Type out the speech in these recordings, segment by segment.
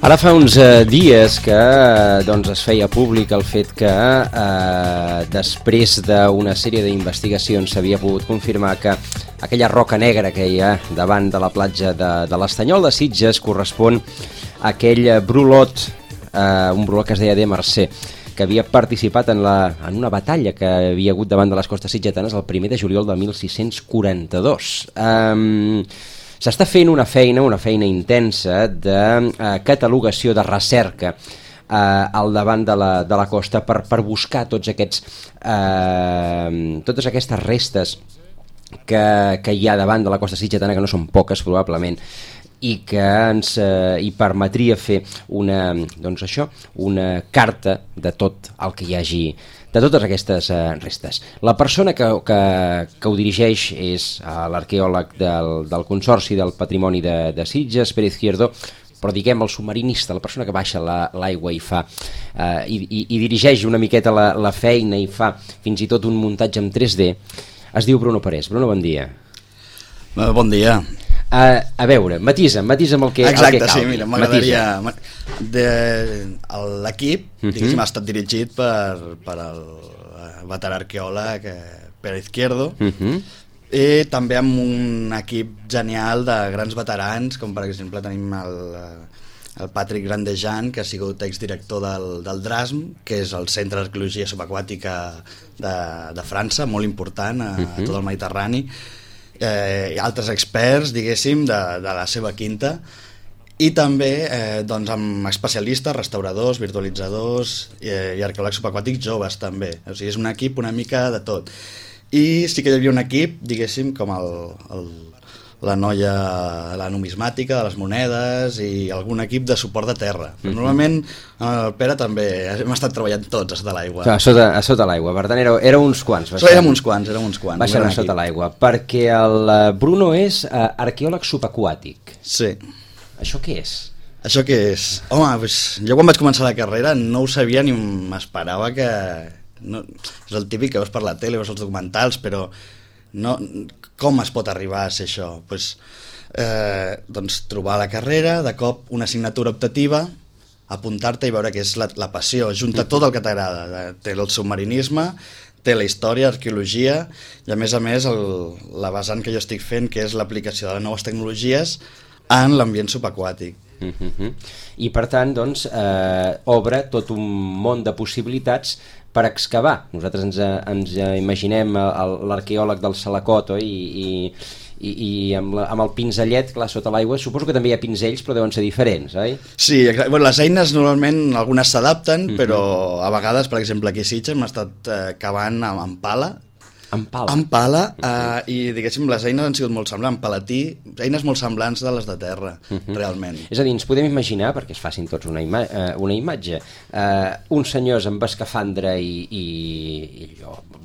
Ara fa uns dies que doncs, es feia públic el fet que després d'una sèrie d'investigacions s'havia pogut confirmar que aquella roca negra que hi ha davant de la platja de l'Estanyol de Sitges correspon a aquell brulot, un brulot que es deia de Mercè, que havia participat en una batalla que havia hagut davant de les costes sitgetanes el 1 de juliol de 1642. S'està fent una feina intensa de catalogació, de recerca al davant de la costa per buscar totes aquestes restes que hi ha davant de la costa sitgetana, que no són poques probablement, i que ens hi permetria fer una carta de tot el que hi hagi, de totes aquestes restes. La persona que ho dirigeix és l'arqueòleg del Consorci del Patrimoni de Sitges, Pere Izquierdo, però diguem el submarinista, la persona que baixa l'aigua i fa i dirigeix una miqueta la feina i fa fins i tot un muntatge en 3D, es diu Bruno Parés. Bruno, bon dia. Bon dia. A veure, matisa amb el que Exacte, cal. Sí, mira, m'agradaria... L'equip, diguéssim, ha estat dirigit per el veterà arqueòleg Pere Izquierdo, i també amb un equip genial de grans veterans, com per exemple tenim el Patrick Grandejan, que ha sigut exdirector del DRASM, que és el Centre d'Arqueologia Subaquàtica de França, molt important a tot el Mediterrani, i altres experts, diguéssim, de la seva quinta, i també amb especialistes, restauradors, virtualitzadors i arqueòlegs subaquàtics joves també. O sigui, és un equip una mica de tot. I sí que hi havia un equip, diguéssim, com la noia, la numismàtica de les monedes i algun equip de suport de terra. Però normalment el Pere també hem estat treballant tots a sota l'aigua. A sota l'aigua, per tant éreu uns quants. Érem uns quants. Baixant a sota l'aigua, perquè el Bruno és arqueòleg subaquàtic. Sí. Això què és? Això què és? Home, doncs, jo quan vaig començar la carrera no ho sabia ni m'esperava que... No, és el típic que veus per la tele, veus els documentals, però no, com es pot arribar a ser això? Doncs trobar la carrera, de cop una assignatura optativa, apuntar-te i veure que és la passió, junta tot el que t'agrada. Té el submarinisme, té la història, arqueologia, i a més la vessant que jo estic fent, que és l'aplicació de les noves tecnologies en l'ambient subaquàtic. I per tant, doncs, obre tot un món de possibilitats per excavar. Nosaltres ens imaginem l'arqueòleg del Salacot, oi? I amb el pinzellet, clar, sota l'aigua, suposo que també hi ha pinzells, però deuen ser diferents, oi? Sí, les eines normalment algunes s'adapten, però a vegades, per exemple, aquí a Sitges hem estat cavant amb pala. Amb pala? Amb pala, i diguéssim, les eines han sigut molt semblants, palatí, eines molt semblants de les de terra, realment. És a dir, ens podem imaginar, perquè es facin tots una imatge, uns senyors amb escafandra i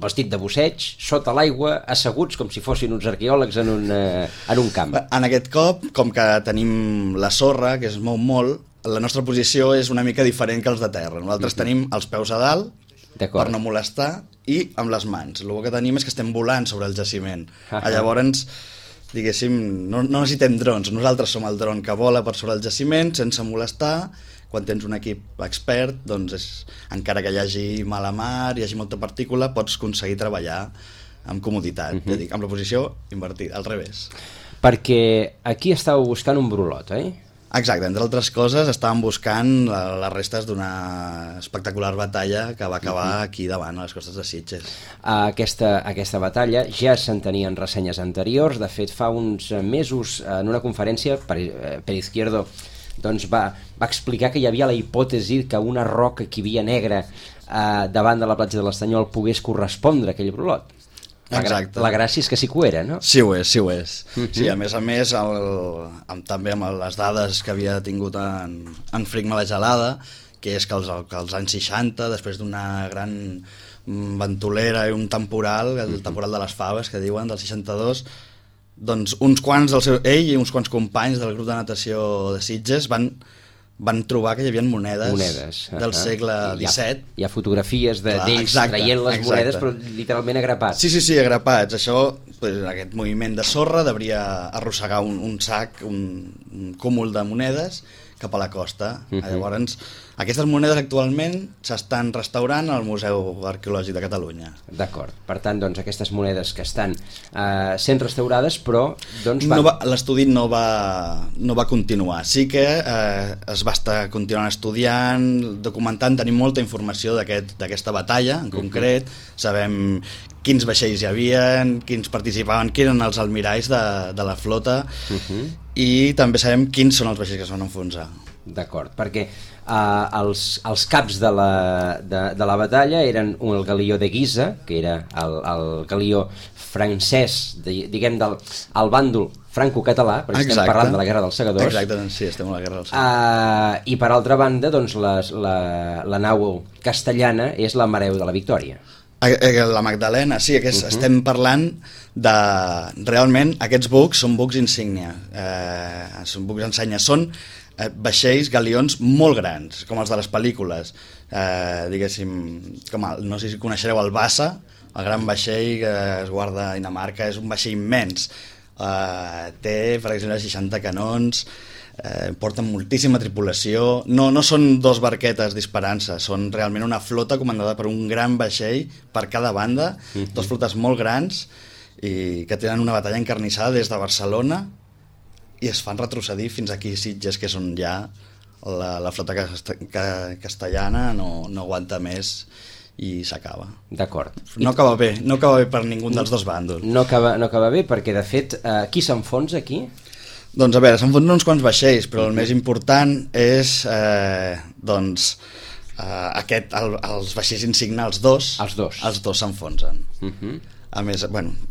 vestit de busseig, sota l'aigua, asseguts com si fossin uns arqueòlegs en un camp. En aquest cop, com que tenim la sorra, que es mou molt, la nostra posició és una mica diferent que els de terra. Nosaltres tenim els peus a dalt, per no molestar, i amb les mans. El que tenim és que estem volant sobre el jaciment. Llavors, diguéssim, no necessitem drons. Nosaltres som el dron que vola per sobre el jaciment sense molestar. Quan tens un equip expert, doncs encara que hi hagi mala mar, hi hagi molta partícula, pots aconseguir treballar amb comoditat. Ja dic, amb la posició invertida, al revés. Perquè aquí estàveu buscant un brulot, eh? Exacte, entre altres coses estàvem buscant les restes d'una espectacular batalla que va acabar aquí davant, a les costes de Sitges. Aquesta batalla ja se'n tenien ressenyes anteriors. De fet, fa uns mesos, en una conferència, Pere Izquierdo doncs va explicar que hi havia la hipòtesi que una roca que hi havia negra davant de la platja de l'Estanyol pogués correspondre a aquell brulot. Exacte. La gràcia és que sí que ho era, no? Sí ho és. Sí, a més, també amb les dades que havia tingut en Frigma la Gelada, que és que als anys 60, després d'una gran ventolera i un temporal, el temporal de les faves, que diuen, del 62, doncs ell i uns quants companys del grup de natació de Sitges van trobar que hi havia monedes del segle XVII. Hi ha fotografies d'ells traient les monedes, però literalment agrapats. Sí, agrapats. Això, aquest moviment de sorra devia arrossegar un sac, un cúmul de monedes cap a la costa. Llavors, aquestes monedes actualment s'estan restaurant al Museu Arqueològic de Catalunya. D'acord. Per tant, doncs, aquestes monedes que estan sent restaurades, però doncs, l'estudi no va continuar. Sí que es va estar continuant estudiant, documentant, tenim molta informació d'aquesta batalla en concret, sabem quins vaixells hi havia, quins participaven, qui eren els almiralls de la flota, i també sabem quins són els vaixells que es van enfonsar. D'acord, perquè els caps de la batalla eren el galió de Guisa, que era el galió francès, diguem, del bàndol franco-català, perquè estem parlant de la Guerra dels Segadors. Exacte, sí, estem a la Guerra dels Segadors. I per altra banda, doncs, la nau castellana és la Mareu de la Victòria. La Magdalena, sí, estem parlant de... Realment, aquests bucs són bucs insígnia, són bucs ensenya, són vaixells, galions molt grans, com els de les pel·lícules, diguéssim, no sé si coneixereu el Bassa, el gran vaixell que es guarda a Dinamarca, és un vaixell immens, té, per exemple, 60 canons, porten moltíssima tripulació, no són dos barquetes disparant-se, són realment una flota comandada per un gran vaixell per cada banda, dos flotes molt grans i que tenen una batalla encarnissada des de Barcelona i es fan retrocedir fins aquí Sitges, que és on ja la flota castellana no aguanta més i s'acaba. D'acord. No acaba bé per ningú dels dos bàndols. No acaba bé perquè, de fet, qui s'enfonsa aquí? Doncs a veure, s'enfonsen uns quants vaixells, però el més important és els vaixells insignia, els dos s'enfonsen. A més,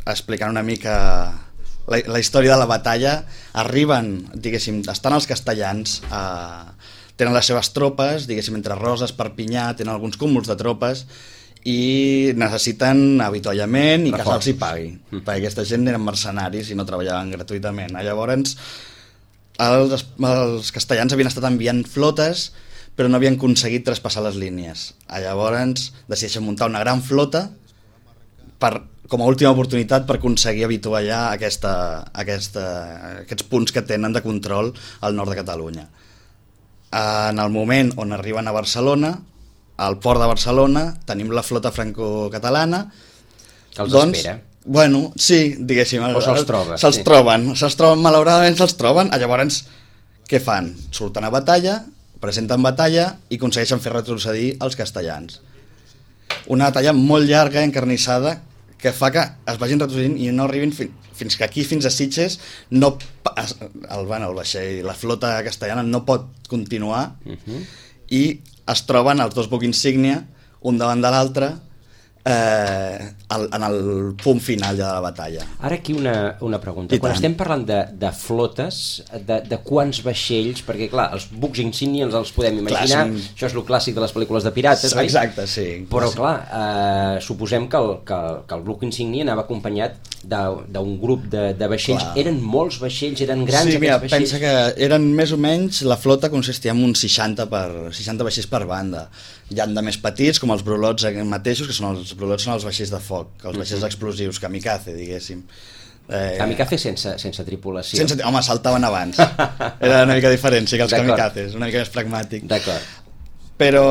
explicant una mica la història de la batalla, arriben, diguéssim, estan els castellans, tenen les seves tropes, diguéssim, entre Roses, Perpinyà, tenen alguns cúmuls de tropes i necessiten avituallament i que se'ls hi pagui, perquè aquesta gent eren mercenaris i no treballaven gratuïtament. Llavors, els castellans havien estat enviant flotes però no havien aconseguit traspassar les línies. Llavors decideixen muntar una gran flota com a última oportunitat per aconseguir avituallar aquests punts que tenen de control al nord de Catalunya. En el moment on arriben a Barcelona, al port de Barcelona, tenim la flota franco-catalana que els espera. Bueno, sí, diguéssim. O se'ls troba. Se'ls troben, malauradament se'ls troben. Llavors, què fan? Surten a batalla, presenten batalla i aconsegueixen fer retrocedir els castellans. Una batalla molt llarga, encarnissada, que fa que es vagin retrocedint i no arribin fins que aquí, fins a Sitges, el vaixell, la flota castellana no pot continuar i es troben els dos bucs insígnia, un davant de l'altre, en el punt final ja de la batalla. Ara aquí una pregunta. Quan estem parlant de flotes, de quants vaixells, perquè clar, els bucs insígnia els podem imaginar, això és el clàssic de les pel·lícules de pirates, oi? Exacte, sí. Però clar, suposem que el buc insígnia anava acompanyat d'un grup de vaixells. Eren molts vaixells, eren grans aquests vaixells? Pensa que eren més o menys, la flota consistia en uns 60 vaixells per banda. Hi ha de més petits, com els brulots mateixos, que els brulots són els vaixells de foc, els vaixells explosius, kamikaze, diguéssim. Kamikaze sense tripulació. Home, saltaven abans. Era una mica diferent, sí, que els kamikazes, una mica més pragmàtic. D'acord. Però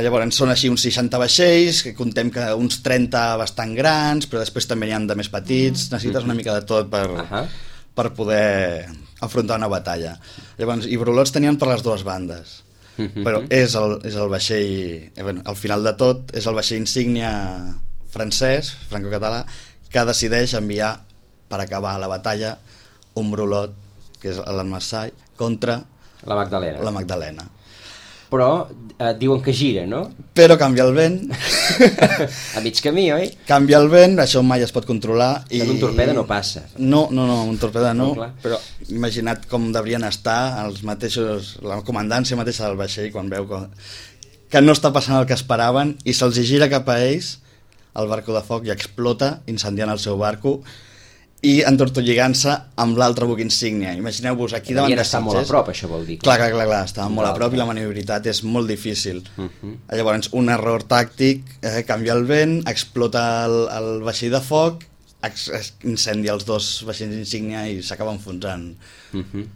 llavors són així uns 60 vaixells, que contem que uns 30 bastant grans, però després també n'hi ha de més petits, necessites una mica de tot per poder afrontar una batalla. Llavors, i brulots tenien per les dues bandes. Però és el vaixell, al final de tot, és el vaixell insígnia francès, franco-català, que decideix enviar per acabar la batalla un brulot, que és l'Almassai, contra la Magdalena. Però diuen que gira, no? Però canvia el vent. A mig camí, oi? Canvia el vent, això mai es pot controlar. En un torpede no passa. No, un torpede no, però imagina't com deurien estar els mateixos, la comandància mateixa del vaixell quan veu que no està passant el que esperaven i se'ls gira cap a ells el barco de foc i explota incendiant el seu barco i entortolligant-se amb l'altre buc insígnia. Imagineu-vos aquí davant de Sitges. Devien estar molt a prop, això vol dir. Clar, estaven molt a prop i la maniobrabilitat és molt difícil. Llavors, un error tàctic, canvia el vent, explota el vaixell de foc incendia els 2 vaixells insígnia i s'acaben enfonsant.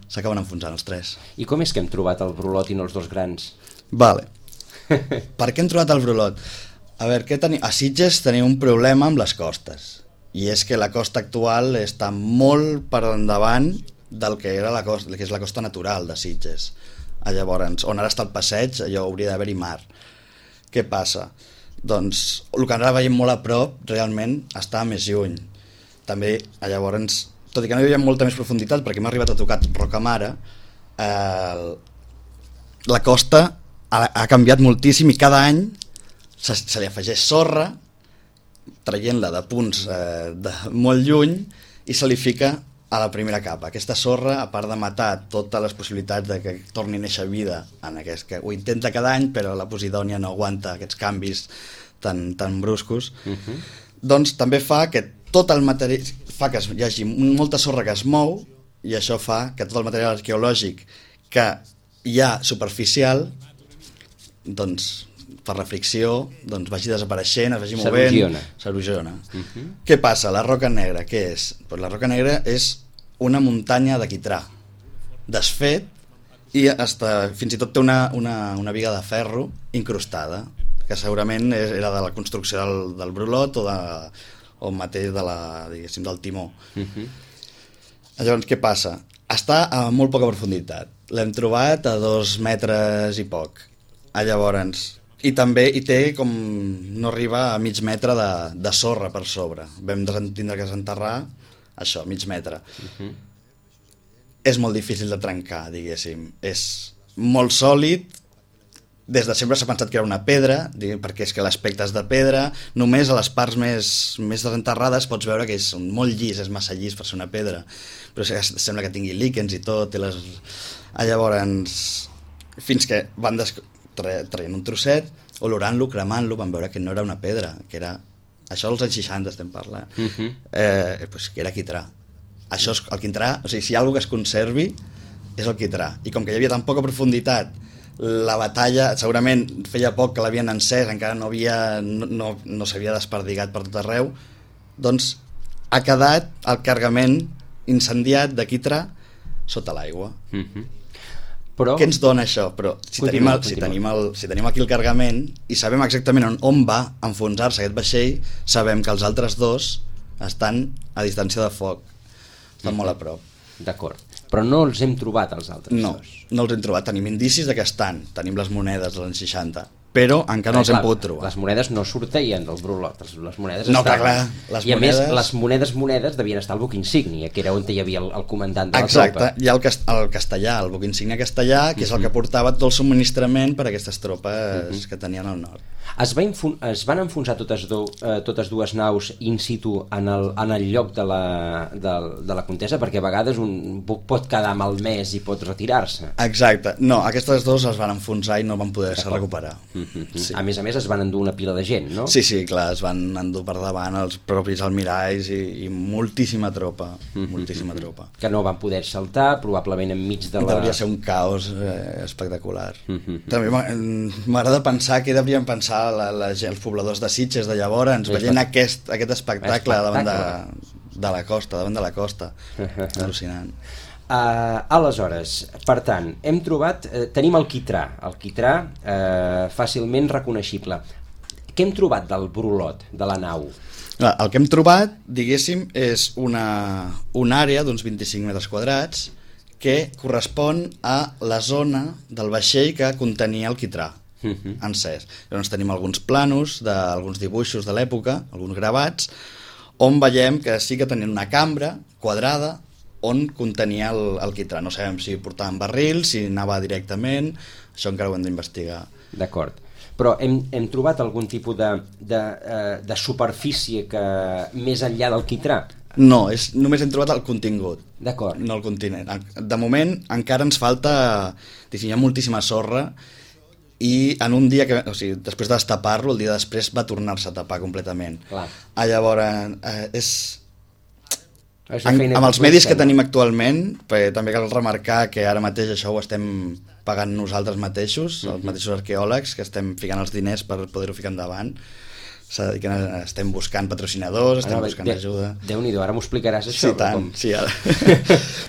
S'acaben enfonsant els 3. I com és que hem trobat el brolot i no els 2 grans? Vale. Per què hem trobat el brolot? A veure, a Sitges tenim un problema amb les costes, i és que la costa actual està molt per endavant del que era que és la costa natural de Sitges. Llavors, on ara està el passeig, allò hauria d'haver-hi mar. Què passa? Doncs el que ara veiem molt a prop realment està més lluny. També llavors, tot i que no hi havia molta més profunditat, perquè m'ha arribat a tocar Rocamara, la costa ha canviat moltíssim i cada any se li afegeix sorra, traient-la de punts de molt lluny, i se li fica a la primera capa. Aquesta sorra, a part de matar totes les possibilitats de que torni a néixer vida, que ho intenta cada any, però la Posidònia no aguanta aquests canvis tan bruscos, doncs també fa que tot el material, fa que hi hagi molta sorra que es mou, i això fa que tot el material arqueològic que hi ha superficial, doncs per la fricció, doncs vagi desapareixent, es vagi movent, s'erosiona. Què passa? La Roca Negra, què és? Pues la Roca Negra és una muntanya de quitrà desfet, i fins i tot té una biga de ferro incrustada, que segurament era de la construcció del brolot o mateix del timó. Llavors, què passa? Està a molt poca profunditat. L'hem trobat a 2 metres i poc. Llavors, i també hi té com no arriba a mig metre de sorra per sobre. Vam tindre que desenterrar això, mig metre. És molt difícil de trencar, diguéssim. És molt sòlid. Des de sempre s'ha pensat que era una pedra, perquè és que l'aspecte és de pedra. Només a les parts més desenterrades pots veure que és molt llis, és massa llis per ser una pedra, però sembla que tingui líquens i tot. Llavors, fins que van traient un trosset, olorant-lo, cremant-lo, van veure que no era una pedra, que era... Això als anys 60 estem parlant. Pues que era quitrà. Això és el quitrà, o sigui, si hi ha alguna que es conservi, és el quitrà. I com que hi havia tan poca profunditat, la batalla, segurament feia poc que l'havien encès, encara no s'havia desperdigat per tot arreu, doncs ha quedat el cargament incendiat de quitrà sota l'aigua. Però... Què ens dona això? Però si tenim aquí el cargament i sabem exactament on va enfonsar-se aquest vaixell, sabem que els altres 2 estan a distància de foc, estan molt a prop. D'acord, però no els hem trobat els altres 2. No els hem trobat, tenim indicis de que estan, tenim les monedes dels anys 60, però encara no els hem pogut trobar. Les monedes no sortien del brolot, les monedes no, estaven... clar, I a més, les monedes devien estar al buc insígnia, que era on hi havia el comandant de la tropa. Exacte, hi ha el castellà, el buc insígnia castellà, que és el que portava tot el subministrament per a aquestes tropes que tenien al nord. Es van enfonsar totes 2 naus in situ en el lloc de la contesa, perquè a vegades un buc pot quedar malmès i pot retirar-se. Exacte, no, aquestes 2 es van enfonsar i no van poder-se recuperar. Sí. A més es van endur una pila de gent, no? Sí, clar, es van endur per davant els propis almiralls i moltíssima tropa, moltíssima tropa. Que no van poder saltar, probablement enmig de la... Devia ser un caos espectacular. També m'agrada pensar què deurien pensar els pobladors de Sitges de llavors veient aquest espectacle davant de la costa, al·lucinant. Aleshores, per tant, hem trobat, tenim el quitrà fàcilment reconeixible. Què hem trobat del brolot, de la nau? El que hem trobat, diguéssim, és una àrea d'uns 25 metres quadrats que correspon a la zona del vaixell que contenia el quitrà encès. Llavors tenim alguns planos d'alguns dibuixos de l'època, alguns gravats, on veiem que sí que tenien una cambra quadrada on contenia el quitrà. No sabem si portaven barril, si anava directament, això encara ho hem d'investigar. D'acord. Però hem trobat algun tipus de superfície que més enllà del quitrà? No, només hem trobat el contingut. D'acord. No el continent. De moment encara ens falta, hi ha moltíssima sorra, i en un dia després de destapar-lo, el dia després va tornar-se a tapar completament. Clar. Llavors amb els medis que tenim actualment, també cal remarcar que ara mateix això ho estem pagant nosaltres mateixos, els mateixos arqueòlegs, que estem ficant els diners per poder-ho ficar endavant. s'ha de dir que estem buscant patrocinadors, estem buscant ajuda. Déu-n'hi-do, ara m'ho explicaràs això. Sí, tant, sí, ara.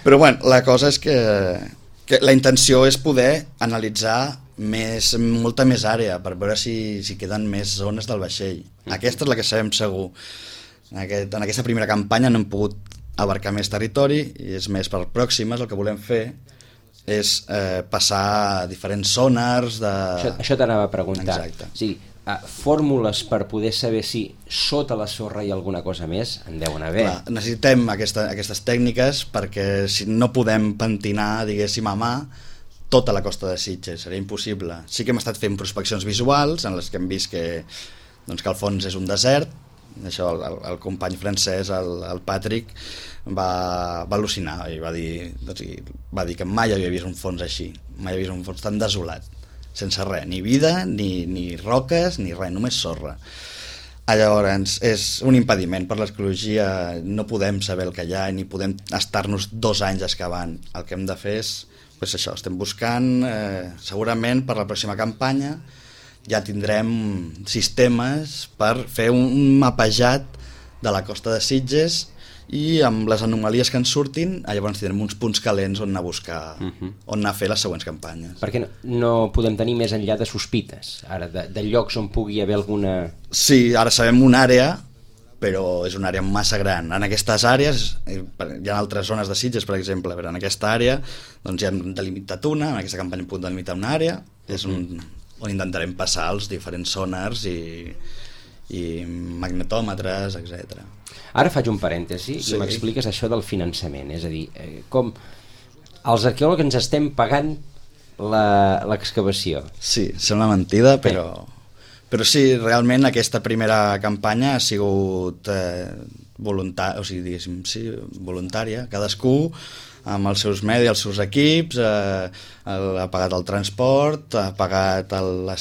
Però bueno, la cosa és que la intenció és poder analitzar molta més àrea per veure si queden més zones del vaixell. Aquesta és la que sabem segur. En aquesta primera campanya no hem pogut abarcar més territori i és més per pròximes. El que volem fer és passar diferents sonars de... Això t'anava a preguntar. Exacte. Sí, fórmules per poder saber si sota la sorra hi ha alguna cosa més en deuen haver. Clar, necessitem aquestes tècniques perquè si no podem pentinar, diguéssim, a mà tota la costa de Sitges, seria impossible. Sí que hem estat fent prospeccions visuals en les que hem vist que el fons és un desert. Això el company francès, el Patrick, va al·lucinar i va dir que mai havia vist un fons així, mai havia vist un fons tan desolat, sense res, ni vida, ni roques, ni res, només sorra. Llavors, és un impediment per l'arqueologia, no podem saber el que hi ha ni podem estar-nos 2 anys excavant. El que hem de fer és això, estem buscant, segurament per la pròxima campanya ja tindrem sistemes per fer un mapejat de la costa de Sitges i amb les anomalies que ens surtin, llavors tindrem uns punts calents on anar a buscar, on anar a fer les següents campanyes. Perquè no podem tenir més enllà de sospites, ara, de llocs on pugui haver alguna... Sí, ara sabem una àrea, però és una àrea massa gran. En aquestes àrees, hi ha altres zones de Sitges, per exemple, però en aquesta àrea doncs ja hem delimitat una, en aquesta campanya hem pogut delimitar una àrea, és on intentarem passar els diferents sonars i magnetòmetres, etc. Ara faig un parèntesi i m'expliques això del finançament, és a dir, com els arqueòlegs ens estem pagant l'excavació. Sí, sembla mentida, però sí, realment aquesta primera campanya ha sigut voluntària, cadascú amb els seus medis, els seus equips, ha pagat el transport, ha pagat la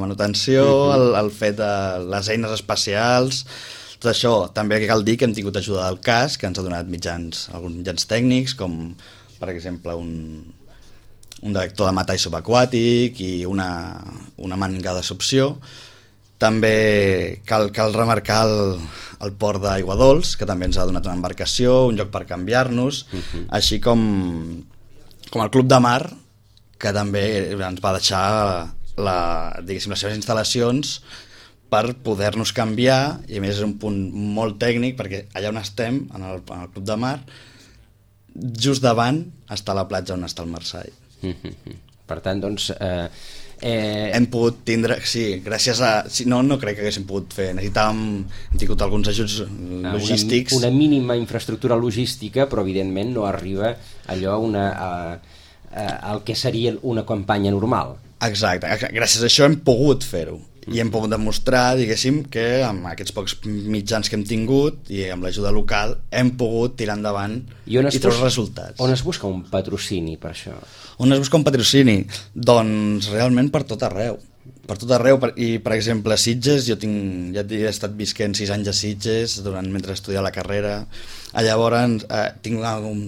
manutenció, el fet de les eines especials, tot això. També cal dir que hem tingut ajuda del CAS, que ens ha donat alguns mitjans tècnics, com per exemple un detector de metall subaquàtic i una màniga de succió. També cal remarcar el port d'Aigua Dols, que també ens ha donat una embarcació, un lloc per canviar-nos, així com el Club de Mar, que també ens va deixar les seves instal·lacions per poder-nos canviar, i a més és un punt molt tècnic, perquè allà on estem, en el Club de Mar, just davant està la platja on està el Marsall. Per tant, doncs... hem pogut tindre, sí, gràcies a... No crec que haguéssim pogut fer, hem tingut alguns ajuts logístics. Una mínima infraestructura logística, però evidentment no arriba allò al que seria una campanya normal. Exacte, gràcies a això hem pogut fer-ho. I hem pogut demostrar, diguéssim, que amb aquests pocs mitjans que hem tingut i amb l'ajuda local hem pogut tirar endavant i treure resultats. On es busca un patrocini per això? On es busca un patrocini? Doncs realment per tot arreu. Per tot arreu, i per exemple a Sitges, jo ja he estat visquent 6 anys a Sitges mentre estudiava la carrera. Llavors tinc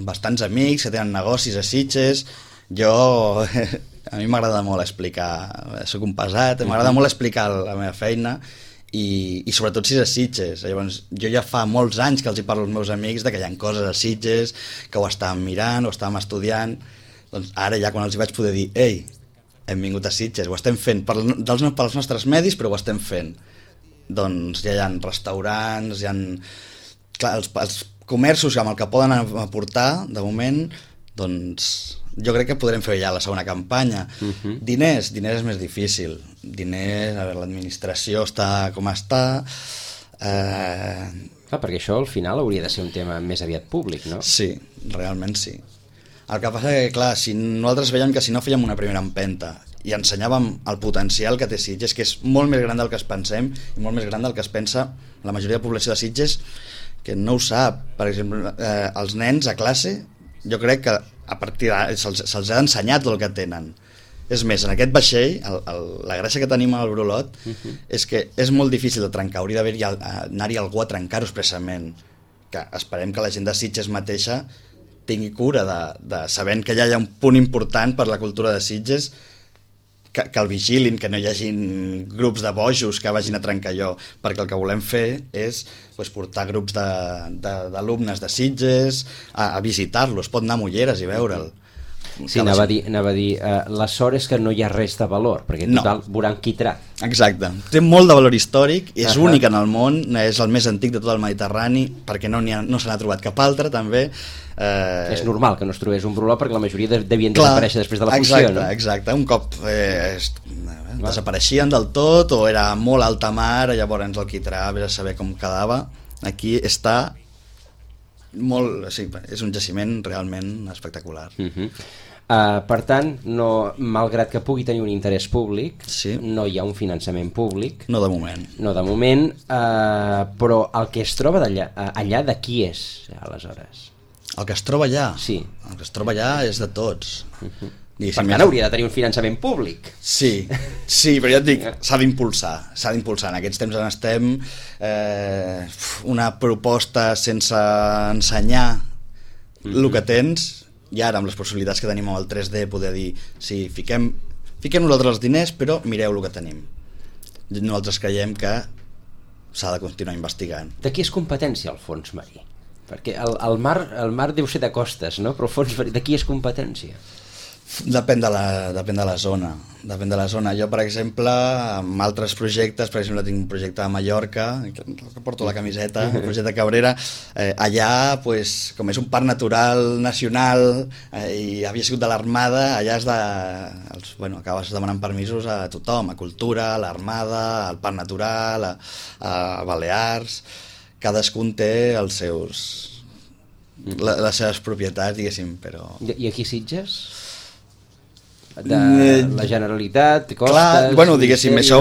bastants amics que tenen negocis a Sitges. A mi m'agrada molt explicar, soc un pesat, m'agrada molt explicar la meva feina i sobretot si és a Sitges. Llavors, jo ja fa molts anys que els hi parlo als meus amics de que hi ha coses a Sitges, que ho estàvem mirant, ho estàvem estudiant. Doncs ara ja quan els hi vaig poder dir ei, hem vingut a Sitges, ho estem fent pels nostres medis, però ho estem fent. Doncs ja hi ha restaurants, hi ha... Clar, els comerços amb el que poden aportar, de moment, doncs... Jo crec que podrem fer ja la segona campanya. Diners és més difícil. L'administració està com està. Perquè això al final hauria de ser un tema més aviat públic, no? Sí, realment sí. El que passa que, clar, si nosaltres veiem que si no fèiem una primera empenta i ensenyàvem el potencial que té Sitges, que és molt més gran del que es pensem i molt més gran del que es pensa la majoria de població de Sitges, que no ho sap. Per exemple, els nens a classe, jo crec que a partir se'ls ha ensenyat el que tenen. És més, en aquest vaixell, la gràcia que tenim al Brulot és que és molt difícil de trencar, hauria d'anar-hi algú a trencar-ho expressament. Que esperem que la gent de Sitges mateixa tingui cura de sabent que ja hi ha un punt important per la cultura de Sitges, que el vigilin, que no hi hagin grups de bojos que vagin a trencar allò, perquè el que volem fer és portar grups d'alumnes de Sitges a visitar-los, pot anar a Mulleres i veure'l. Sí, anava a dir la sort és que no hi ha res de valor, perquè total veuran quitrà. Exacte, té molt de valor històric, és únic en el món, és el més antic de tot el Mediterrani, perquè no se n'ha trobat cap altre també. És normal que no es trobés un brulot perquè la majoria devien desaparèixer després de la fusió, no? Exacte, un cop desapareixien del tot o era molt alta mar, llavors el quitrà, vés a saber com quedava. Aquí està molt, sí, és un jaciment realment espectacular. Per tant, malgrat que pugui tenir un interès públic, no hi ha un finançament públic. No de moment. No de moment, però el que es troba allà de qui és, aleshores? El que es troba allà? Sí. El que es troba allà és de tots. Per tant, hauria de tenir un finançament públic. Sí, però ja et dic, s'ha d'impulsar. En aquests temps en estem una proposta sense ensenyar el que tens, i ara amb les possibilitats que tenim amb el 3D poder dir, sí, fiquem nosaltres els diners, però mireu el que tenim. Nosaltres creiem que s'ha de continuar investigant. De qui és competència el fons marí? Perquè el mar deu ser de costes, no? Però el fons marí, de qui és competència? Depèn de la zona. Jo, per exemple, amb altres projectes, per exemple, tinc un projecte a Mallorca, que porto la camiseta, el projecte Cabrera, allà, com és un parc natural nacional i havia sigut de l'Armada, allà acabes demanant permisos a tothom, a Cultura, a l'Armada, al Parc Natural, a Balears. Cadascun té les seves propietats, diguéssim, però... I aquí Sitges? De la Generalitat, costes... Clar, diguéssim, això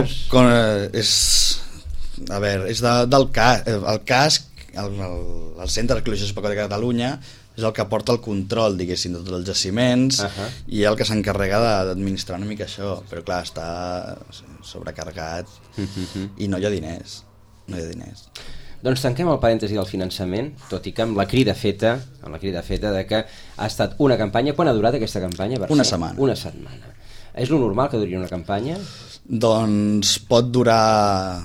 és... A veure, és del CAS. El CAS, el Centre d'Arqueologia Subaquàtica de Catalunya, és el que porta el control, diguéssim, de tots els jaciments i el que s'encarrega d'administrar una mica això. Però clar, està sobrecarregat i no hi ha diners. Doncs tanquem el parèntesi del finançament, tot i que amb la crida feta de que ha estat una campanya. Quan ha durat aquesta campanya? Una setmana. Una setmana. És lo normal que duri una campanya? Doncs pot durar...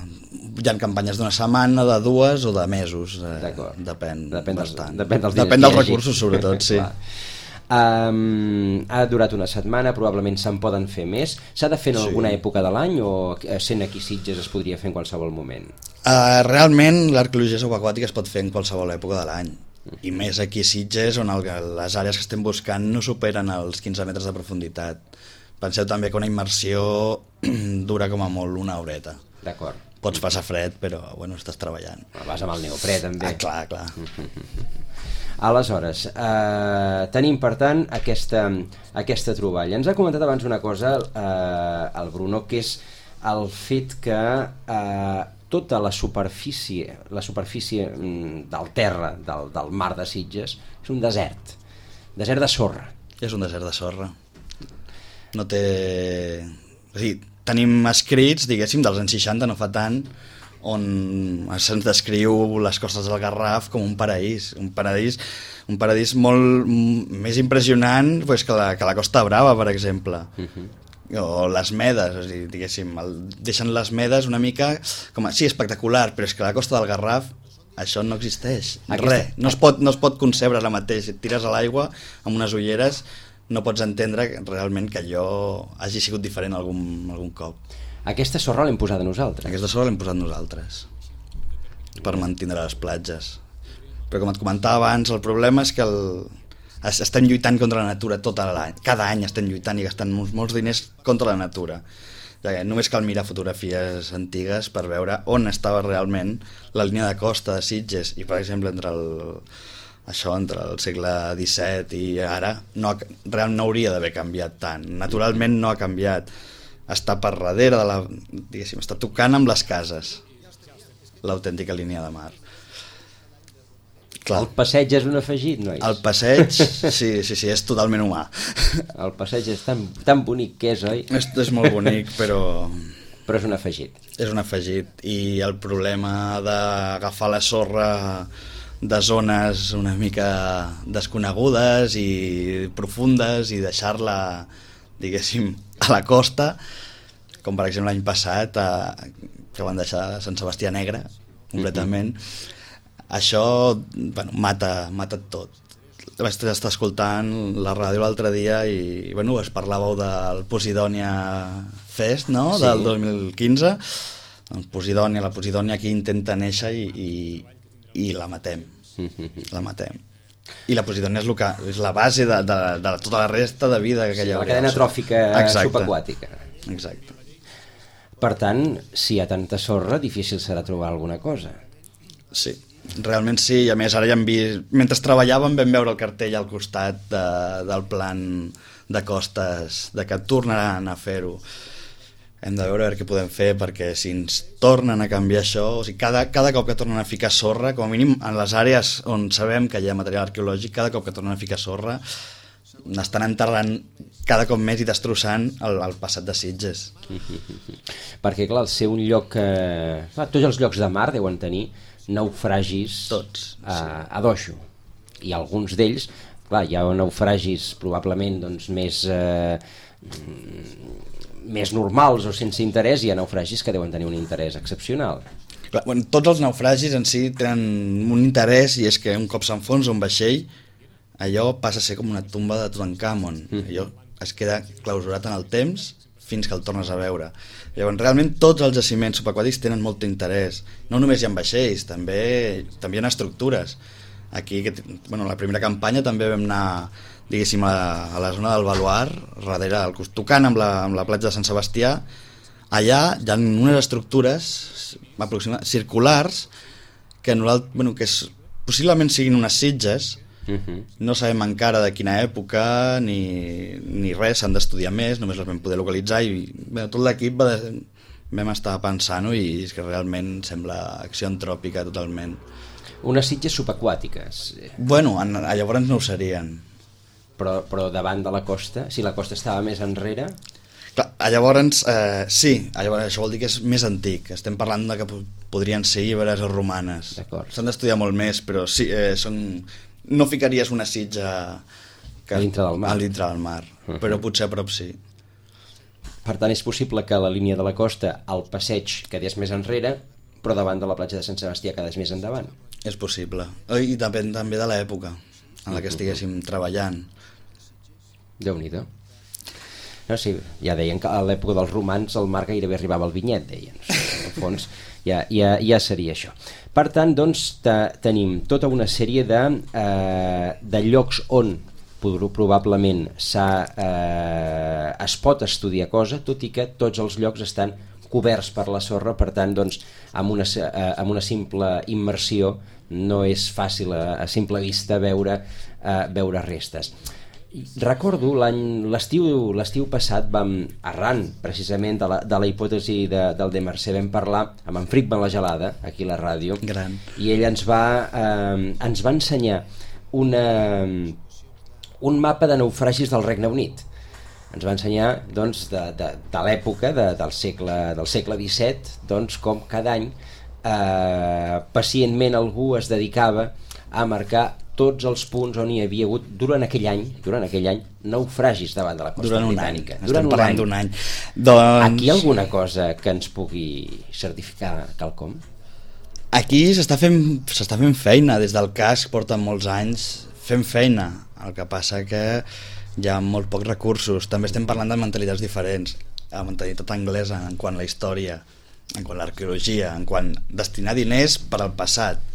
Hi ha campanyes d'una setmana, de 2 o de mesos. Depèn bastant. Depèn dels recursos, sobretot, sí. Ha durat una setmana, probablement se'n poden fer més. S'ha de fer en alguna època de l'any o sent aquí Sitges es podria fer en qualsevol moment? Realment l'arqueologia subaquàtica es pot fer en qualsevol època de l'any, i més aquí a Sitges, on les àrees que estem buscant no superen els 15 metres de profunditat. Penseu també que una immersió dura com a molt una horeta. D'acord. Pots passar fred, però estàs treballant. Vas amb el neoprè també. Clar. Aleshores, tenim per tant aquesta troballa. Ens ha comentat abans una cosa el Bruno, que és el fet que tota la superfície del terra, del mar de Sitges, és un desert de sorra. És un desert de sorra. No té... O sigui, tenim escrits, diguéssim, dels anys 60, no fa tant, on se'ns descriu les costes del Garraf com un paraís molt més impressionant que la Costa Brava, per exemple. O les Medes, o sigui, diguéssim, deixen les Medes una mica com sí, espectacular, però és que a la Costa del Garraf això no existeix, res, no es pot concebre ara mateix. Et tires a l'aigua amb unes ulleres, no pots entendre realment que allò hagi sigut diferent algun cop. Aquesta sorra l'hem posada nosaltres. Aquesta sorra l'hem posat nosaltres per mantenir les platges, però com et comentava abans, el problema és que estem lluitant contra la natura tota l'any, cada any estem lluitant i gastant molts diners contra la natura. Només cal mirar fotografies antigues per veure on estava realment la línia de costa de Sitges, i per exemple entre el segle XVII i ara realment no hauria d'haver canviat tant, naturalment no ha canviat, està per darrere diguéssim, està tocant amb les cases l'autèntica línia de mar. Clar. El passeig és un afegit, nois? El passeig, sí, és totalment humà. El passeig és tan bonic que és, oi? És molt bonic, però... Però és un afegit. És un afegit, i el problema d'agafar la sorra de zones una mica desconegudes i profundes i deixar-la, diguéssim, a la costa, com per exemple l'any passat, que van deixar Sant Sebastià negre completament. Això mata tot. Vaig estar escoltant la ràdio l'altre dia i es parlàveu del Posidònia Fest, no? Sí. Del 2015. Doncs la Posidònia aquí intenta néixer i la matem. La matem. I la Posidònia és la base de tota la resta de vida que hi ha. La cadena tròfica subaquàtica. Exacte. Per tant, si hi ha tanta sorra, difícil serà trobar alguna cosa. Sí. Realment sí, i a més ara ja hem vist, mentre treballàvem vam veure el cartell al costat del plan de costes, de que tornaran a fer-ho. Hem de veure què podem fer, perquè si ens tornen a canviar això, o sigui, cada cop que tornen a ficar sorra, com a mínim en les àrees on sabem que hi ha material arqueològic, cada cop que tornen a ficar sorra estan enterrant cada cop més i destrossant el passat de Sitges. Perquè clar, al ser un lloc tots els llocs de mar deuen tenir naufragis tots, a dojo, i alguns d'ells, clar, hi ha naufragis probablement doncs, més normals o sense interès, i hi ha naufragis que deuen tenir un interès excepcional. Clar, tots els naufragis en si tenen un interès, i és que un cop s'enfonsa un vaixell, allò passa a ser com una tomba de Tutankamon. Allò es queda clausurat en el temps fins que el tornes a veure. Llavors, realment tots els jaciments subaquàtics tenen molt interès. No només hi ha vaixells, també hi ha estructures. Aquí, la primera campanya també vam anar, diguéssim, a la zona del Baluar, darrere, tocant amb la platja de Sant Sebastià. Allà hi ha unes estructures circulars que possiblement siguin unes sitges. No sabem encara de quina època ni res, s'han d'estudiar més, només les vam poder localitzar, i tot l'equip vam estar pensant-ho, i és que realment sembla acció antròpica totalment. Unes sitges subaquàtiques? Llavors no ho serien. Però davant de la costa? Si la costa estava més enrere? Clar, llavors sí, això vol dir que és més antic. Estem parlant de que podrien ser iberes o romanes. S'han d'estudiar molt més, però sí, no ficaries una sitja a dintre del mar, però potser a prop sí. Per tant, és possible que la línia de la costa, el passeig, quedés més enrere, però davant de la platja de Sant Sebastià quedés més endavant. És possible, i depèn també de l'època en la que estiguéssim treballant. Déu-n'hi-do. No, sí, ja deien que a l'època dels romans el mar gairebé arribava al vinyet, deien. En fons ja seria això. Per tant, doncs, tenim tota una sèrie de llocs on probablement es pot estudiar cosa, tot i que tots els llocs estan coberts per la sorra, per tant, doncs, amb una simple immersió no és fàcil a simple vista veure restes. Recordo l'estiu passat arran precisament de la hipòtesi del de Mercè, vam parlar amb en Frickman la Gelada aquí a la ràdio. Gran. I ell ens va ensenyar un mapa de naufragis del Regne Unit. Ens va ensenyar doncs, de l'època del segle XVII, doncs, com cada any pacientment algú es dedicava a marcar tots els punts on hi havia hagut durant aquell any naufragis davant de la costa britànica. Estem parlant d'un any. Aquí hi ha alguna cosa que ens pugui certificar quelcom? Aquí s'està fent feina, des del casc porten molts anys fent feina, el que passa que hi ha molt pocs recursos. També estem parlant de mentalitats diferents, la mentalitat anglesa en quant a la història, en quant a l'arqueologia, en quant a destinar diners per al passat,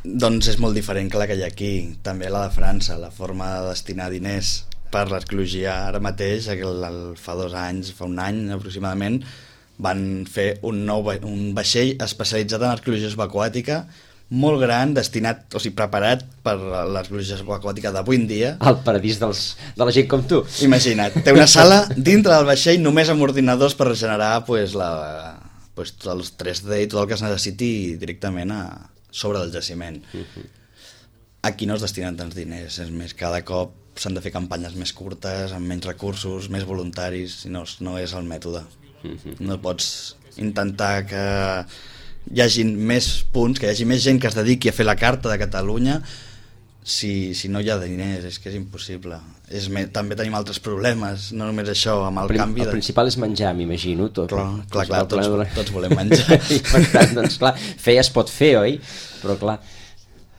doncs és molt diferent que la que hi ha aquí. També la de França, la forma de destinar diners per l'arqueologia. Ara mateix, fa 2 anys, fa un any aproximadament, van fer un vaixell especialitzat en arqueologia subaquàtica, molt gran, destinat, o sigui, preparat per l'arqueologia subaquàtica d'avui en dia. El paradís de la gent com tu. Imagina't, té una sala dintre del vaixell només amb ordinadors per generar tots els 3D i tot el que es necessiti directament sobre el jaciment. Aquí no es destinen tants diners, és més, cada cop s'han de fer campanyes més curtes, amb menys recursos, més voluntaris, i no és el mètode. No pots intentar que hi hagi més punts, que hi hagi més gent que es dediqui a fer la carta de Catalunya, si no hi ha diners, és que és impossible. També tenim altres problemes, no només això, amb el canvi... El principal és menjar, m'imagino, tot. Clar, tots volem menjar. I per tant, doncs clar, fer es pot fer, oi? Però clar,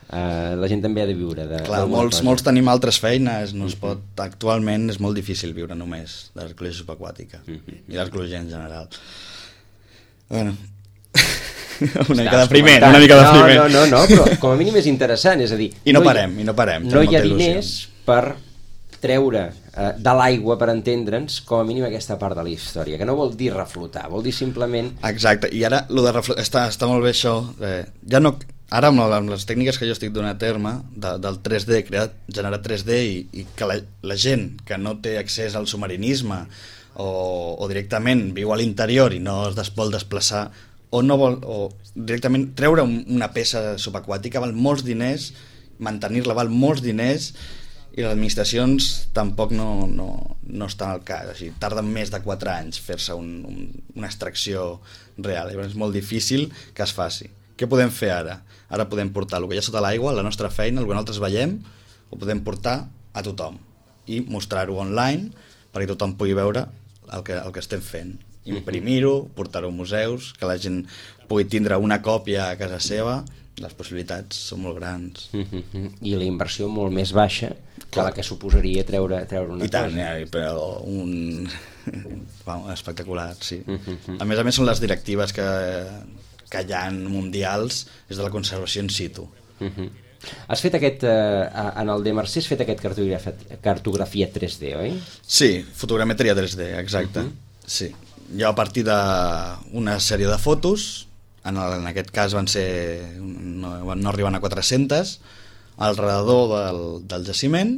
la gent també ha de viure. Clar, molts tenim altres feines, no es pot... Actualment és molt difícil viure només de l'arqueologia subaquàtica i l'arqueologia en general. Bueno... una mica depriment. No, però com a mínim és interessant, és a dir... I no parem. No hi ha diners per treure de l'aigua, per entendre'ns, com a mínim aquesta part de la història, que no vol dir reflotar, vol dir simplement... Exacte, i ara lo de reflotar, està molt bé això, ja no... Ara amb les tècniques que jo estic donant a terme del 3D, generar 3D i que la gent que no té accés al submarinisme o directament viu a l'interior i no es vol desplaçar o no vol, o directament treure una peça subaquàtica val molts diners, mantenir-la val molts diners i les administracions tampoc no estan al cas, així, tarden més de 4 anys fer-se una extracció real, és molt difícil que es faci. Què podem fer ara? Ara podem portar el que hi ha sota l'aigua, la nostra feina, el que nosaltres veiem, ho podem portar a tothom i mostrar-ho online perquè tothom pugui veure el que estem fent. Imprimir-ho, portar-ho a museus, que la gent pugui tindre una còpia a casa seva, les possibilitats són molt grans. I la inversió molt més baixa que la que suposaria treure una cosa. I tant, però espectacular, sí. A més són les directives que hi ha mundials és de la conservació in situ. Has fet en el de Mercè has fet aquest cartografia 3D, oi? Sí, fotogrametria 3D, exacte. Sí. Jo a partir d'una sèrie de fotos, en aquest cas no arriben a 400, al redador del jaciment,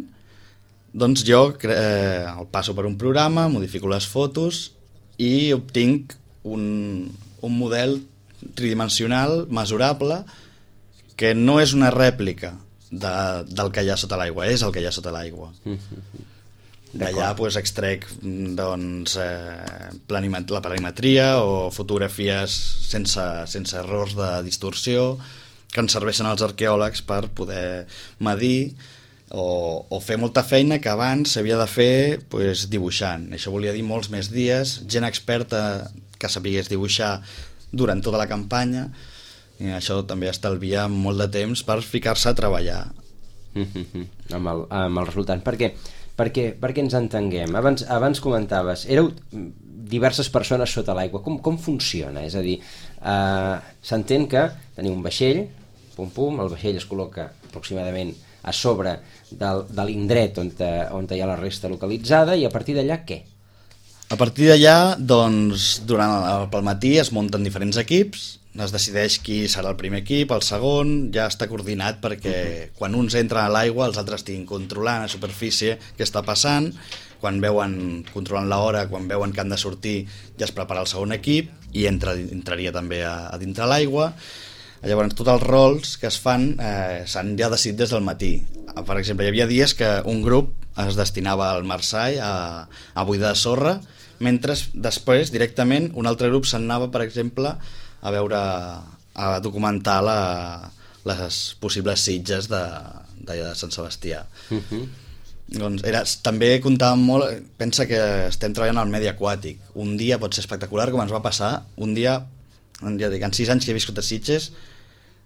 doncs jo el passo per un programa, modifico les fotos i obtinc un model tridimensional, mesurable, que no és una rèplica del que hi ha sota l'aigua, és el que hi ha sota l'aigua. D'allà extrec la planimetria o fotografies sense errors de distorsió que ens serveixen als arqueòlegs per poder medir o fer molta feina que abans s'havia de fer dibuixant. Això volia dir molts més dies, gent experta que sapigués dibuixar durant tota la campanya, i això també estalvia molt de temps per ficar-se a treballar amb el resultat. Perquè ens entenguem, abans comentaves, éreu diverses persones sota l'aigua, com funciona? És a dir, s'entén que teniu un vaixell, el vaixell es col·loca aproximadament a sobre de l'indret on hi ha la resta localitzada, i a partir d'allà què? A partir d'allà, doncs, pel matí es munten diferents equips, es decideix qui serà el primer equip, el segon, ja està coordinat perquè quan uns entren a l'aigua els altres estiguin controlant a superfície què està passant, quan controlant l'hora, quan veuen que han de sortir ja es prepara el segon equip i entraria també a dintre l'aigua. Llavors tots els rols que es fan s'han ja decidit des del matí. Per exemple, hi havia dies que un grup es destinava al Marseille a buidar sorra, mentre després directament un altre grup se'n anava, per exemple, a documentar les possibles sitges de Sant Sebastià. Doncs també comptàvem molt, pensa que estem treballant al medi aquàtic, un dia pot ser espectacular, com ens va passar un dia, ja dic, en 6 anys que he viscut a Sitges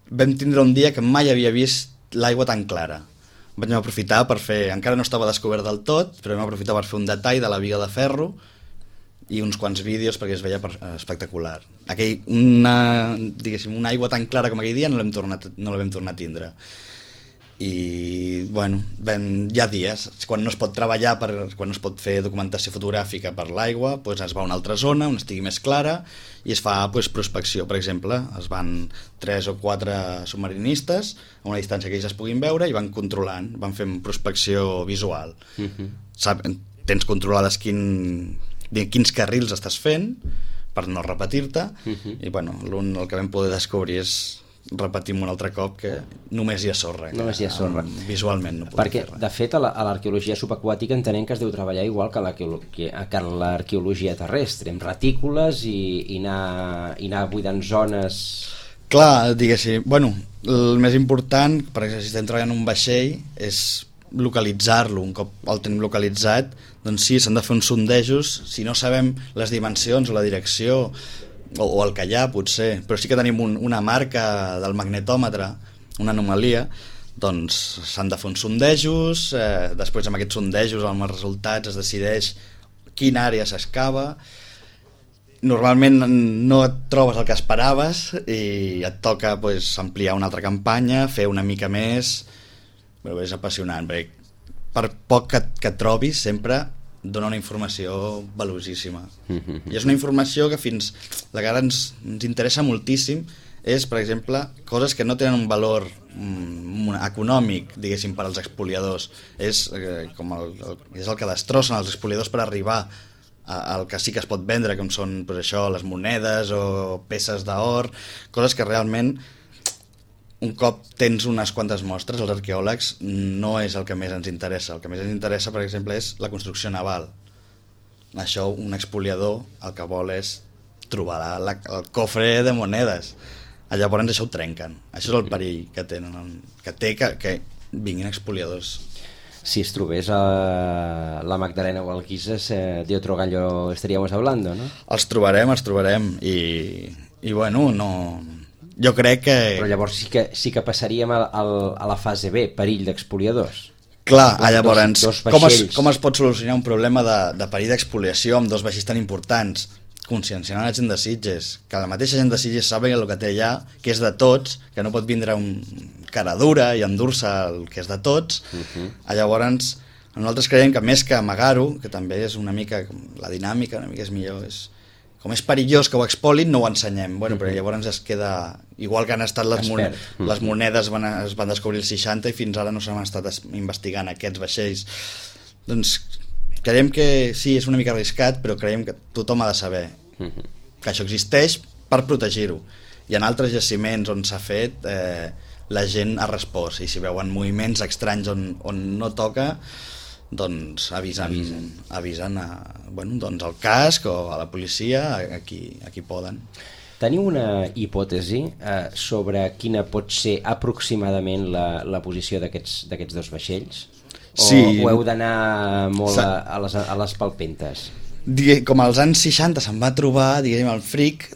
vam tindre un dia que mai havia vist l'aigua tan clara. Vaig aprofitar per fer, encara no estava descobert del tot, però vam aprofitar per fer un detall de la biga de ferro i uns quants vídeos perquè es veia espectacular. Una aigua tan clara com aquell dia no la vam tornar a tindre. I bueno, hi ha dies quan no es pot treballar, quan no es pot fer documentació fotogràfica per l'aigua, es va a una altra zona on estigui més clara i es fa prospecció. Per exemple, es van 3 o 4 submarinistes a una distància que ells es puguin veure i van controlant, van fent prospecció visual. Tens controlades quins carrils estàs fent per no repetir-te i bueno, el que vam poder descobrir és repetim un altre cop que només hi ha sorra. Visualment no podem fer res. De fet, a l'arqueologia subaquàtica entenem que es deu treballar igual que l'arqueologia terrestre, amb retícules i anar buidant zones... Clar, diguéssim, bueno, el més important, per exemple, si estem treballant en un vaixell, és localitzar-lo. Un cop el tenim localitzat, doncs sí, s'han de fer uns sondejos. Si no sabem les dimensions o la direcció o el que hi ha, potser, però sí que tenim una marca del magnetòmetre, una anomalia, doncs s'han de fer uns sondejos, després amb aquests sondejos, amb els resultats, es decideix quina àrea s'excava. Normalment no et trobes el que esperaves i et toca pues, ampliar una altra campanya, fer una mica més, però és apassionant, perquè per poc que et trobis sempre dona una informació valuosíssima. I és una informació que la que ara ens interessa moltíssim és, per exemple, coses que no tenen un valor econòmic, diguéssim, per als expoliadors. És el que destrossen els expoliadors per arribar al que sí que es pot vendre, com són pues, això, les monedes o peces d'or, coses que realment un cop tens unes quantes mostres, els arqueòlegs, no és el que més ens interessa. El que més ens interessa, per exemple, és la construcció naval. Això, un expoliador, el que vol és trobar el cofre de monedes. Llavors això ho trenquen. Això és el perill que tenen, que vinguin expoliadors. Si es trobés a la Magdalena o al Guises, de otro gallo estaríamos hablando, ¿no? Els trobarem i bueno, no... Jo crec que... Però llavors sí que passaríem a la fase B, perill d'expoliadors. Clar, llavors, dos com es pot solucionar un problema de perill d'expoliació amb dos vaixells tan importants? Conscienciant la gent de Sitges, que la mateixa gent de Sitges saben el que té allà, que és de tots, que no pot vindre un cara dura i endur-se el que és de tots. Llavors, nosaltres creiem que més que amagar-ho, que també és una mica, la dinàmica una mica és millor, com és perillós que ho expolin, no ho ensenyem. Bueno, però llavors es queda... Igual que han estat les monedes es van descobrir els 60 i fins ara no s'han estat investigant aquests vaixells. Doncs creiem que sí, és una mica arriscat, però creiem que tothom ha de saber que això existeix per protegir-ho. I en altres jaciments on s'ha fet, la gent ha respost, i si veuen moviments estranys on no toca, doncs avisen doncs al casc o a la policia, a qui poden. Teniu una hipòtesi sobre quina pot ser aproximadament la posició d'aquests dos vaixells? Sí. O heu d'anar molt a les palpentes? Com als anys 60 se'n va trobar, diguem, el Fric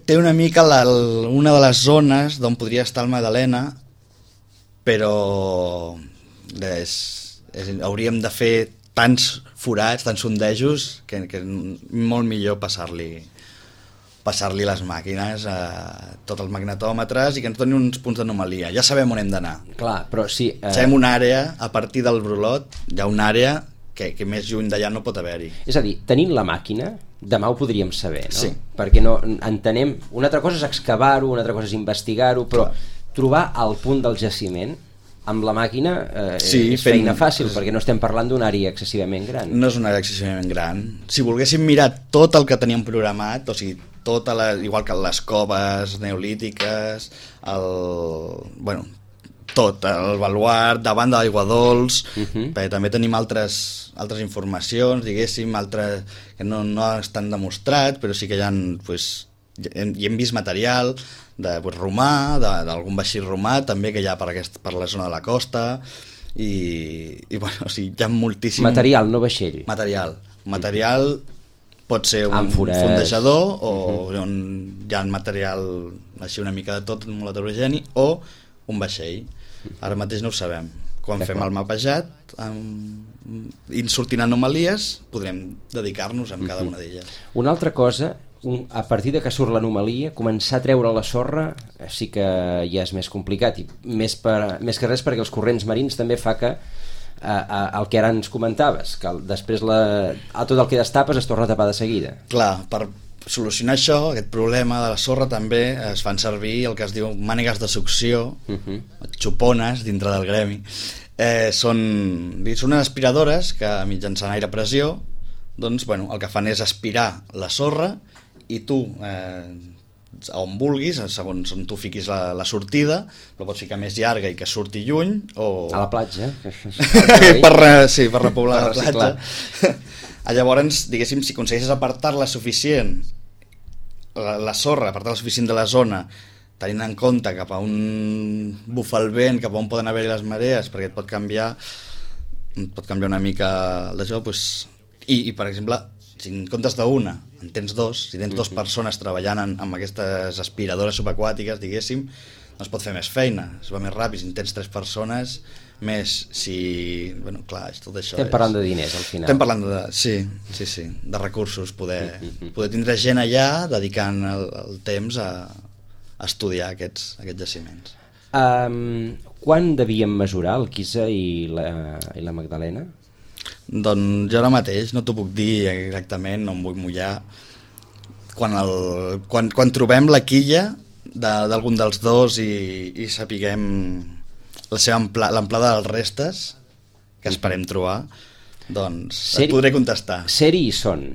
té una mica una de les zones d'on podria estar el Magdalena, però hauríem de fer tants forats, tants sondejos, que és molt millor passar-li les màquines a tots els magnetòmetres i que ens donin uns punts d'anomalia. Ja sabem on hem d'anar. Clar, però sí... Sabem una àrea, a partir del brulot, hi ha una àrea que més lluny d'allà no pot haver-hi. És a dir, tenint la màquina, demà ho podríem saber, no? Sí. Perquè no entenem... Una altra cosa és excavar-ho, una altra cosa és investigar-ho, però trobar el punt del jaciment amb la màquina és feina fàcil, perquè no estem parlant d'una àrea excessivament gran. No és una àrea excessivament gran. Si volguéssim mirar tot el que teníem programat, o sigui, igual que les coves neolítiques, tot, el baluart, davant de l'aigua dolç, perquè també tenim altres informacions, diguéssim, que no estan demostrat, però sí que hi hem vist material romà, d'algun vaixell romà, també que hi ha per la zona de la costa, i bueno, o sigui, hi ha moltíssim... Material, no vaixell. Material pot ser un fondejador o on hi ha material així una mica de tot, molt heterogeni, o un vaixell. Ara mateix no ho sabem. Quan fem el mapejat i sortint anomalies podrem dedicar-nos a cada una d'elles. Una altra cosa, a partir de que surt l'anomalia, començar a treure la sorra sí que ja és més complicat, i més que res perquè els corrents marins també fa que el que ara ens comentaves, que després tot el que destapes es torna a tapar de seguida. Clar, per solucionar això, aquest problema de la sorra, també es fan servir el que es diu mànegues de succió, xupones dintre del gremi. Són unes aspiradores que mitjançant aire pressió, doncs, bueno, el que fan és aspirar la sorra i tu on vulguis, segons on tu fiquis la sortida, la pots ficar més llarga i que surti lluny, o... A la platja. per repoblar la platja. Llavors, diguéssim, si aconsegueixes apartar-la suficient, la sorra, apartar-la suficient de la zona, tenint en compte cap a on bufa el vent, cap a on poden haver-hi les marees, perquè et pot canviar una mica el d'això, doncs, i per exemple, si en comptes d'una en tens dos, si tens dues persones treballant amb aquestes aspiradores subaquàtiques, diguéssim, doncs pot fer més feina, es va més ràpid. Si en tens 3 persones, més si... Bueno, clar, tot això estem parlant de diners, al final. Estem parlant de... Sí, de recursos, poder tindre gent allà dedicant el temps a estudiar aquests jaciments. Quan devíem mesurar el Quisa i la Magdalena? Doncs jo ara mateix no t'ho puc dir exactament, no em vull mullar. Quan trobem la quilla d'algun dels dos i sapiguem l'amplada dels restes que esperem trobar, doncs et podré contestar. Ser-hi hi són.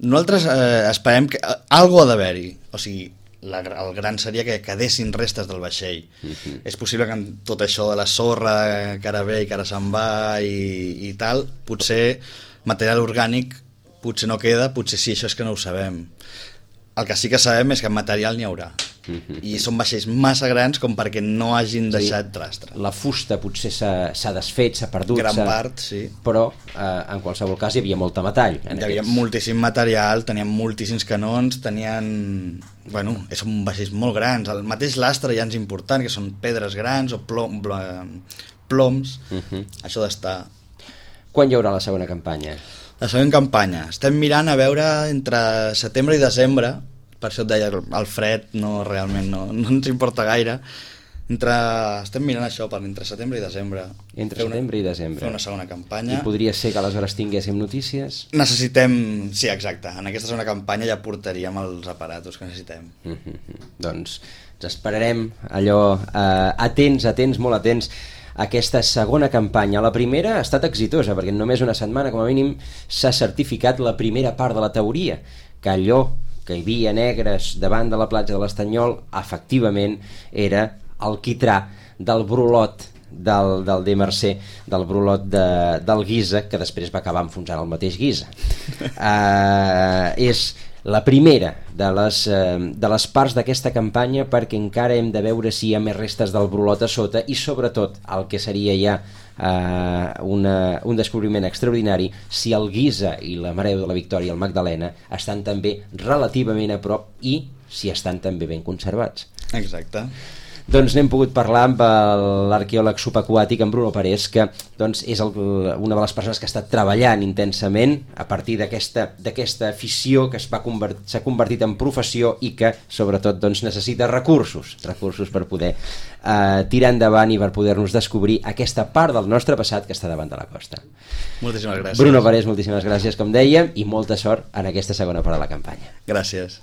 Nosaltres esperem que algo ha d'haver-hi, o sigui, el gran seria que quedessin restes del vaixell. És possible que amb tot això de la sorra que ara ve i que ara se'n va i tal, potser material orgànic potser no queda, potser sí, això és que no ho sabem. El que sí que sabem és que material n'hi haurà. I són vaixells massa grans com perquè no hagin deixat rastre. La fusta potser s'ha desfet, s'ha perdut. Gran part, sí. Però en qualsevol cas hi havia molta metall. Hi havia moltíssim material, tenien moltíssims canons, Bueno, són vaixells molt grans. El mateix lastre ja és important, que són pedres grans o ploms. Això d'estar... Quan hi haurà la segona campanya? La següent campanya. Estem mirant a veure entre setembre i desembre, per això et deia, el fred realment no ens importa gaire. Estem mirant això per entre setembre i desembre. Setembre i desembre. Fer una segona campanya. I podria ser que aleshores tinguéssim notícies? Necessitem, sí, exacte. En aquesta segona campanya ja portaríem els aparatos que necessitem. Doncs ens esperarem allò atents, molt atents, aquesta segona campanya. La primera ha estat exitosa, perquè en només una setmana, com a mínim, s'ha certificat la primera part de la teoria, que allò que hi havia negres davant de la platja de l'Estanyol, efectivament, era el quitrà del brolot del de Mercè, del brolot del Guisa, que després va acabar enfonsant el mateix Guisa. És la primera de les parts d'aquesta campanya, perquè encara hem de veure si hi ha més restes del brolot a sota i sobretot el que seria ja un descobriment extraordinari, si el Guisa i la Mareu de la Victòria i el Magdalena estan també relativament a prop i si estan també ben conservats. Exacte. Doncs n'hem pogut parlar amb l'arqueòleg subaquàtic, en Bruno Parés, que doncs, és una de les persones que ha estat treballant intensament a partir d'aquesta afició que s'ha convertit en professió i que sobretot doncs, necessita recursos per poder tirar endavant i per poder-nos descobrir aquesta part del nostre passat que està davant de la costa. Moltíssimes gràcies. Bruno Parés, moltíssimes gràcies, com dèiem, i molta sort en aquesta segona part de la campanya. Gràcies.